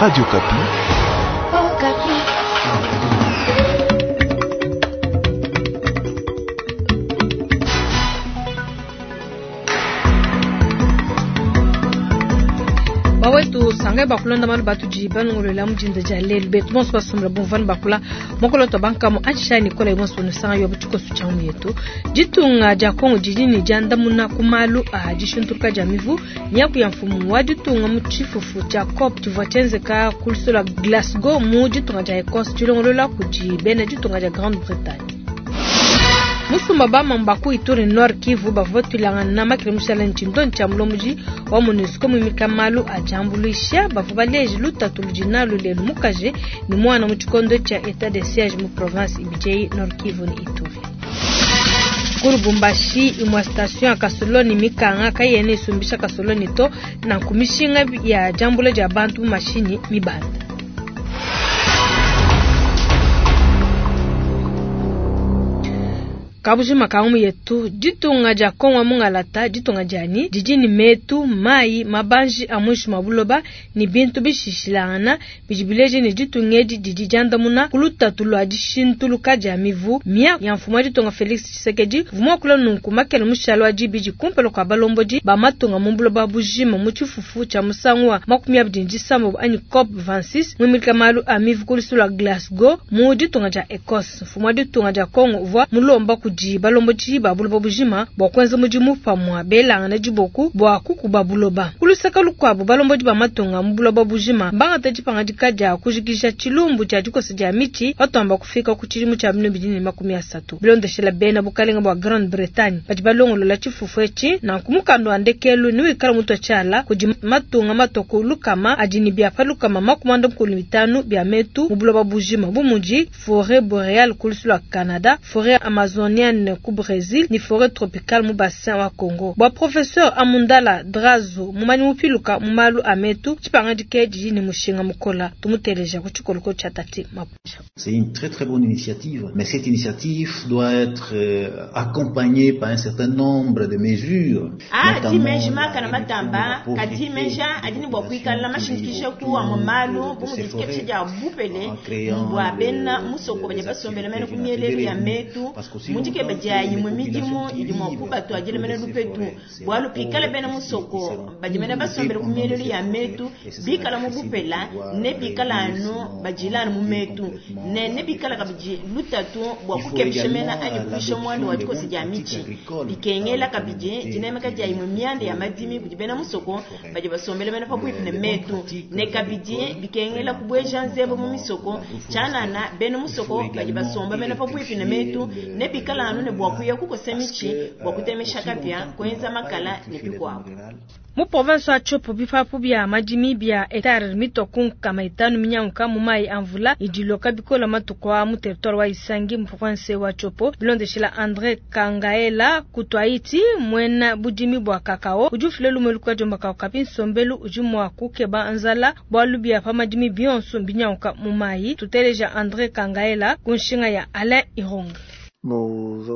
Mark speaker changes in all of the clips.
Speaker 1: Radio Okapi.
Speaker 2: Bawetu sangai bakulonda malu batudi balongolola mu dinda dia lelu betu bonso basombela bumvua bakula mokolo bankamu atshisha nikola yonso nusanga yo tshikoso tshia mu yetu. Ditunga dia Kongo didi ne diandamuna ku malu a dishintuluka dia mivu miaku ya mfumu wa ditunga mu tshifufu tshia COP tshivua tshienzeka ku luseke lua Glasgow mu ditunga dia Ecosse tshilongolola kudi bena ditunga dia Grande-Bretagne. Musumba bamamu ba ku Ituri Nord Kivu bavua batuilangana makele mushala ne tshindonyi tshia mulombodi wa MONUSCO muimika malu a diambuluisha bavua baleje lutatu ludi nalu lelu mukaji ne muana mu tshikondo tshia etat de siège mu province ibidi eyi Nord Kivu ne Ituri. Ku Lubumbashi imue station ya kasoloni mikanga kayena isumbisha kasoloni to nanku mishinga ya diambula dia bantu mu mashinyi mibanda. Kabujima ka ngumu yetu, ditunga dia Kongo mungalata ditunga dianyi didi ne metu, mayi, mabanji a muinshi mua buloba ne bintu bishishilangana bidi bileja ne ditunga edi didi diandamuna ku lutatu lua dishintuluka dia mivu. Miaku ya mfumu wa ditunga Felix Tshisekedi uvua muakula nunku makele mushale wa dibidi kumpala kua balombodi ba matunga mu buloba bujima mu tshifufu tshia musangu wa 26 anyi COP 26 muimika malu a mivu ku luseke lua Glasgow mu ditunga dia Ecosse. Mfumu wa ditunga dia Kongo uvua mulomba kudi balombodi ba buloba bujima bua kuenza mudimu pamue belangana diboku bua kukuba buloba. Ku luseke lukuabu, balombodi ba matunga mu buloba bujima mbangate dipangadika dia kujikija tshilumbu tshia dikosa dia mitshi patuamba kufika ku tshidimu tshia 2030. Bilondeshela bena bukalenga bua Grande-Bretagne badi balongolola tshifufu etshi, nanku mukanda wa ndekelu newikale mutua tshiala kudi matunga matua ku lukama adi ne bia pa 185 bia metu mu buloba bujima bu mudi foret boreale ku luseke lua Canada, foret amazonienne ku Bresil ne foret tropicale mu bassin wa Congo. Bua professeur Amundala Drazo, mumanyi mupiluka mu malu a metu, tshipangadika didi ne mushinga mukola. Tumuteleja ku tshikoloko tshia Tati Mapucha.
Speaker 3: C'est une très très bonne initiative, mais cette initiative doit être accompagnée par un certain nombre de mesures.
Speaker 4: A di meji makane matamba, kadi meji adi ne bua kuikala mashindikija ku amue malu bu mudi dikepesha dia bupele bua bena musoko badi basombele mene ku mielelu ya metu mu dikeba dia imue midimu idi mua kubatuadila mene lupetu. Bualu pikala bena musoko badi mene basombele ku mielelu ya metu bikala mu bupela ne bikala anu badila anu mu metu ne ne bikala kabidi lutatu bua kukepesha mena anyi kuisha muanda wa dikosa dia mitshi. Bikengela kabidi dinemeka dia imue mianda ya madimi kudi bena musoko badi basombele mene pabuipi ne metu ne kabidi bikengela kubueja nzembo mu misoko tshianana bena musoko badi basomba mene pabuipi ne metu ne bikala anu ne bua kuya kukosa mitshi bua kutemesha kapia kuenza makala ne bikuabu.
Speaker 2: Mu province wa Tshopo bipapu bia madimi bia hectare mitua ku 500 minyanguka mu mayi a mvula idi iloka bikola matuku a mu territoire wa Isangi mu province wa Tshopo. Bilondeshela Andre Kangaela Kutwaiti muena budimi bua kakao udi ufila lumu luka diomba kao kapi nsombelu udi mua kukeba nzala bualu bia pa madimi bionso mbinyanguka mu mayi. Tuteleja Andre Kangaela ku nshinga ya Alain Ironga.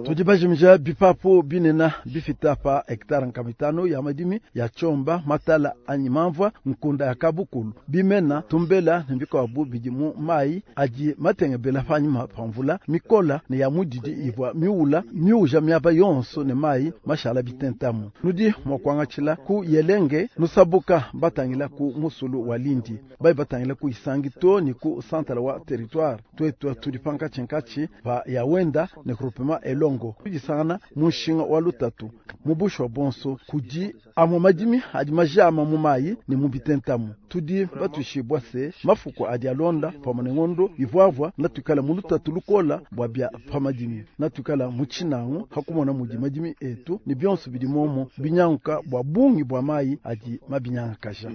Speaker 5: Tudi bajimija bipapu binena bifita pa hectare 500 ya madimi ya chomba matala anyi mamvua nkunda ya kabukulu bimena tumbela ne bikuabu bidi mu mayi adi matengebela panyima pa mvula mikola ne ya mudidi ivua miula miuja miaba yonso ne mayi mashala bitentamu. Nudi mua kuangatshila ku Yelenge nusabuka batangila ku musulu wa Lindi bai batangila ku Isangi to ni ku santala wa territoire twetu tudi pankatshi pa ya wenda ne groupement elongo kudisangana mushinga wa lutatu mubushu wa bonso kudi amwe madimi adi majama mu mayi ne mu bitentamu. Tudi batushibwa se mafuko adi alonda pamwe ne ngondo ivwavwa natukala mu lutatu lukola bwa bia pamadimi natukala mu tshinango hakumona mudi madimi etu ne bionso bidi momo binyanguka bwa bungi bwa mayi adi mabinyangakaja.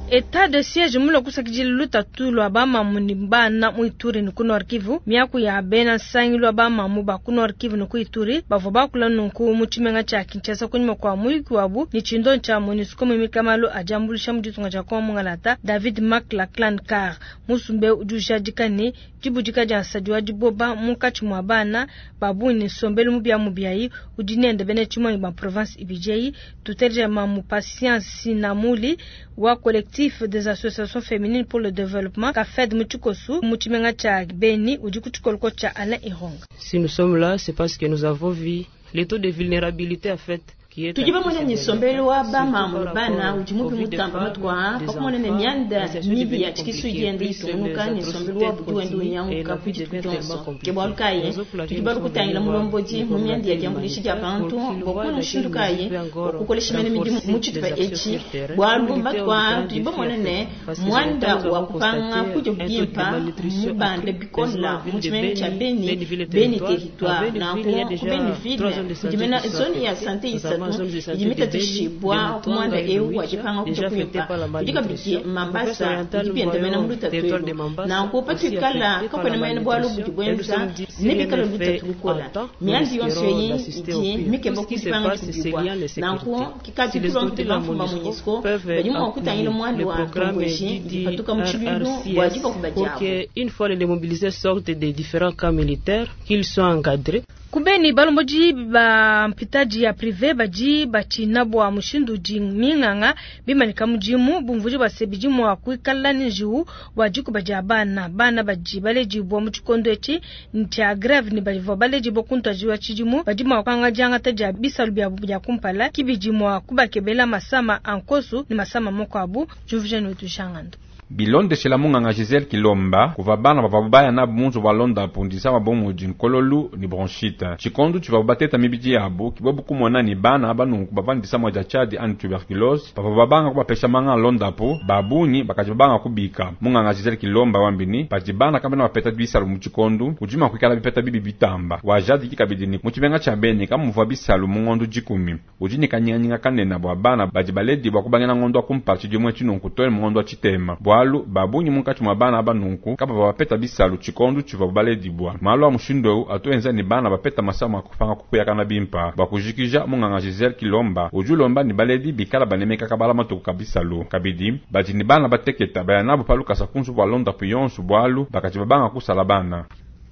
Speaker 2: Etat de siège mulo kusakidila lutatu lua bamamu ne bana mu Ituri ne ku Nord Kivu. Miaku ya bena nsangilu wa bamamu ba ku Nord Kivu ne ku Ituri bavua bakula nunku mu tshimenga tshia Kinshasa kunyima kua muyuki wabu ne tshindo tshia MONUSCO muimika malu a diambuluisha mu ditunga dia Kongo mungalata David McLachlan Carr. Musumbe udi ujadika ne Dibudika dia nsadi wa diboba munkatshi mua bana ba bungi ne nsombelu mubiamubiayi udi nende bena tshimuangi ba province ibidi eyi. Tuteleja Mamu Patience Sinamuli wa Collectif des associations féminines pour le développement CAFED mu tshikosu mu tshimenga tshia Beni udi ku tshikoloko tshia Alain Ironga.
Speaker 1: Si nous sommes là, c'est parce que nous avons vu le taux de vulnérabilité en fait
Speaker 4: tudi bamone ne nsombelu wa bamamu ne bana udi mubi mutamba matuku aa pa kumona ne mianda mibi ya tshikisu idi yenda itungunuka ne nsombelu wabu udi wenda unyanguka ku dituku dionso. Ke bualu kayi tudi balue kutangila mulombodi mu mianda ya diambuluisha dia bantu bua kumona mushindu kayi wa kukolesha mene midimu mu tshitupa etshi, bualu matuku aa tudi bamone ne, muanda wa kupanga kudia bimpe mmubande bikole mu tshimenga tshia Beni, Beni Territoire. Nanku ku Beni Ville kudi mene zone ya sante isatu idi mitatshishibua ku muanda eu wa dipanga kudia kuimpa. Kudi kabidi Mambasa udi bienda mena mu lutatu elu. Nanku patuikala kakuena mena bualu budi buenza, nebikale lutatu lukola. Mianda yonso eyi idi mikeba ku dipanga dikubibua. Nanku kikadi tulomba bamfumu ba Monusco badi mua kutangila muanda wa ntomboji idi ipatuka mu tshiluilu bua dibakuba diabu.
Speaker 1: Une fois les mobilisés sortent des différents camps militaires, qu'ils soient encadrés.
Speaker 2: Ku Beni, balombodi ba mpitadi ya prive badi batshina bua mushindu udi minganga bimanyika mudimu, bumvuija bua se bidi mua kuikala ne njiwu bua dikuba dia bana. Bana badi baledibua mu tshikondo etshi tshia greve ne bavua baledibua ku ntuadijilu wa tshidimu badi mua kupanga diangata dia bisalu biabu bia kumpala, ki bidi mua kubakebela masama a nkosu ne masama makuabu. Diumvuija ne wetu Jean Ngandu.
Speaker 6: Bilondeshela munganga Gisele Kilomba, kuvua bana bavuabu baya nabu mu nzubu wa londapu disama bu mudi nkololu ne bronchite. Tshikondu tshivuabu bateta mibidi yabu, ke bobu kumona ne, bana aba nunku bavua ne disama dia tshiadi anyi tuberculose. Pavuabu babanga kubapesha manga a londapu, ba bungi bakadi babanga kubika. Munganga Gisele Kilomba wambi ne, padi bana kabena bapeta bisalu mu tshikondu, kudi mua kuikala bipeta bibi bitamba. Wajadiki kabidi ne, mu tshimenga tshia Beni kamuvua bisalu mu ngondu dikumi. Udi ne kanyinganyinga kanene bua bana badi baledibua kubangila ngondo wa kumpala tshidimu etshi nunku too ne mu ngondo wa tshitema, bualu ba bungi munkatshi mua bana aba nunku kabavua bapeta bisalu tshikondo tshivuabu baledibua. Malu a mushindu eu atu enza ne bana bapeta masama a kupanga kupuyakana bimpe. Bua kujikija, munganga Gisele Kilomba udi ulomba ne baledi bikala banemeka kabala matuku ka bisalu. Kabidi, badi ne bana bateketa baya nabu pa lukasa ku nzubu wa londapu yonso bualu bakadi babanga kusala bana.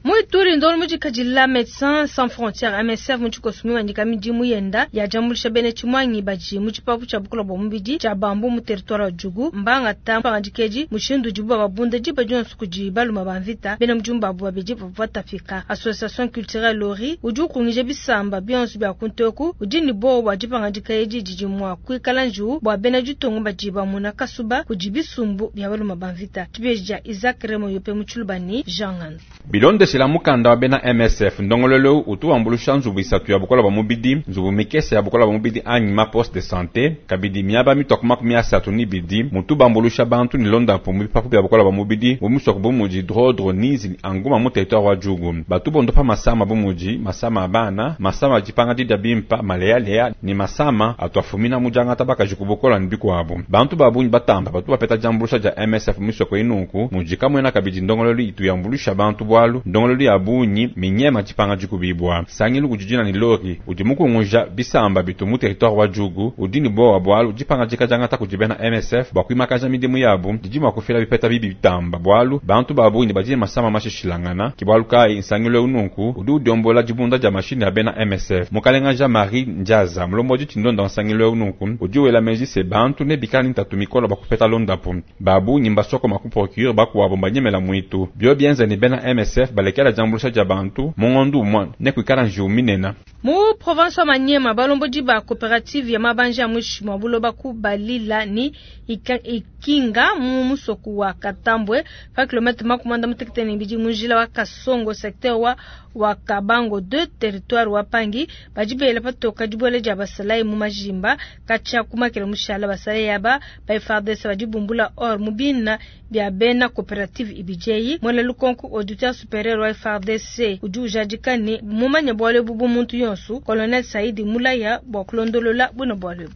Speaker 2: Mu Ituri, ndongoluelu mudikadila Medecins Sans Frontieres, MSF, mu tshikoso mimanyika midimu yenda ya diambuluisha bena tshimuangi badi mu tshipapu tshia bukola bua mubidi tshia Bambu mu territoire wa Djugu. Mbangata dipangadika edi mushindu udibu bababunda diba dionso kudi baluma ba mvita. Bena mudimu babu babidi bavua batapika. Association Culturelle Lori udi ukungija bisamba bionso bia kuntu eku udi ne buowa bua dipangadika edi didi mua kuikala njiwu bua bena ditunga badi bamuna kasuba kudi bisumbu bia baluma ba mvita. Tshibeji dia Isaac Remo Yope mu Tshiluba ne Jean Ngandu.
Speaker 6: Bilondeshila mukanda wa bena MSF, ndongoluelu eu utu wambuluisha nzubu isatu ya bukola bua mubidi, nzubu mikese ya bukola bua mubidi anyi ma poste de sante, kabidi miaba mitua ku 32 mutu bambuluisha bantu ne londapu mu bipapu bia bukola bua mubidi mu misoko bu mudi Drodro, Nizi ne Anguma mu territoire wa Djugu. Batu bondopa masama bu mudi, masama a bana, masama a dipanga didia bimpa, maleyaleya ne masama atu afumina mu diangata bakaji ku bukola ne bikuabu. Bantu ba bungi batamba batu bapeta diambuluisha dia MSF mu misoko eyi nunku mudi kamuena kabidi ndongoluelu itu yambuluisha bantu bualu ndongoluelu ya bungi minyema dipanga dikubibua. Nsangilu udi dina ne Lori udi mukunguja bisamba bitu mu territoire wa Djugu udi ne buowa bualu dipangadika diangata kudi bena MSF bua kuimakaja midimu yabu didi mua kufila bipeta bibi bitamba bualu bantu ba bungi badi ne masama mashishilangana. Ke bualu kayi nsangilu eu nunku udi udiombola dibunda dia mashinyi a bena MSF. Mukalenga Jean Marie Ndiaza, mulombodi tshindonda wa nsangilu eu nunku udi wela meji se bantu nebikala ne ntatu mikola bua kupeta londapu. Ba bungi mbasokoma ku procure, bakuabu mbanyemela muitu. Biobi bienza ne bena MSF balekela diambuluisha dia bantu mu ngondu umue, nekuikala njiwu minene.
Speaker 2: Mu province wa Maniema, balombodi ba cooperative ya mabanji a muinshi mua buloba ku Balila ne Ikinga mu musoku wa Katambwe pa kilometre 62 mu njila wa Kasongo secteur wa wa Kabango 2 territoire wa Pangi badi bela patoka dibuela dia basalayi mu majimba katshia ku makela mushala. Basalayi aba ba FARDC badi bumbula or mu bina bia bena cooperative ibidi eyi. Muena lukonko auditeur superieur wa FARDC udi ujadika ne mumanye bualu ebu bu muntu yonso. Colonel Saidi mulaya bua kulondolola buena bualu ebu.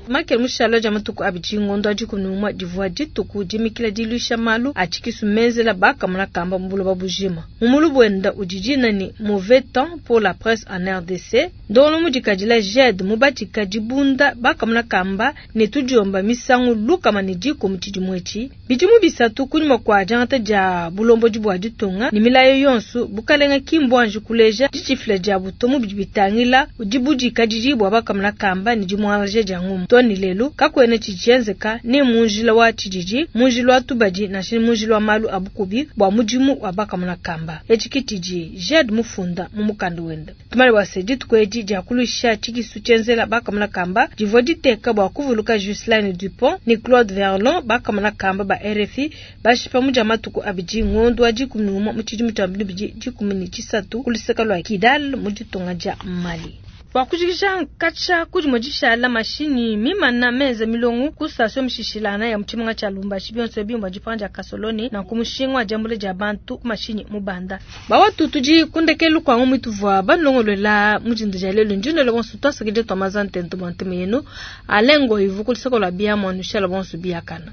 Speaker 2: Makele mushala dia matuku abidi ngondo wa 11 divua dituku dimikila diluisha malu a tshikisu menzela bakamona kamba mu buloba bujima. Mu mulubu wenda udi dina ni mauvais temps pour la presse en RDC. Ndongolo mudikadila JED mubatika dibunda bakamona kamba ne tudiomba misangu lukama ne dikumi tshidimu etshi. Bidimu bisatu kunyima kua diangata dia bulombodi bua ditunga ne milayo yonso bukalenga ki mbuanji kuleja ditshifila dia butomu bidi bitangila dibudikadidi bua bakamona kamba ne dimuangalaja dia ngumu. To ne lelu kakuena tshidi tshienzeka ne mu njila wa tshididi, mu njila wa tubadi nansha mu njila wa malu a bukubi bua mudimu wa bakamona kamba. Etshi ke tshidi JED mufunda mu mukanda wende. Tumale bua se dituku edi dia kuluisha tshikisu tshienzela bakamona kamba divua diteka bua kuvuluka Ghislaine Dupont ne Claude Verlon bakamona kamba ba RFI bashipa mu dia matuku abidi ngondo wa 11 mu tshidimu tshia 2013 ku luseke lua Kidal mu ditunga dia Mali. Bua kujikija nkatsha kudi dishala mashinyi mimana menza milongo ku station mishishilana ya mutshimenga tshia Lubumbashi bionso bimba dipanga dia kasoloni na ku mushinga wa diambula dia bantu ku mashinyi mubanda. Bawa tudi kundekelu kwa ngumu tuvua banlongolola mujinda dia lelo ndinelo bonso twasakidile twa mazantento bwa ntema yenu alengo ivu ku luseke lua biamua nushala bonso biakana.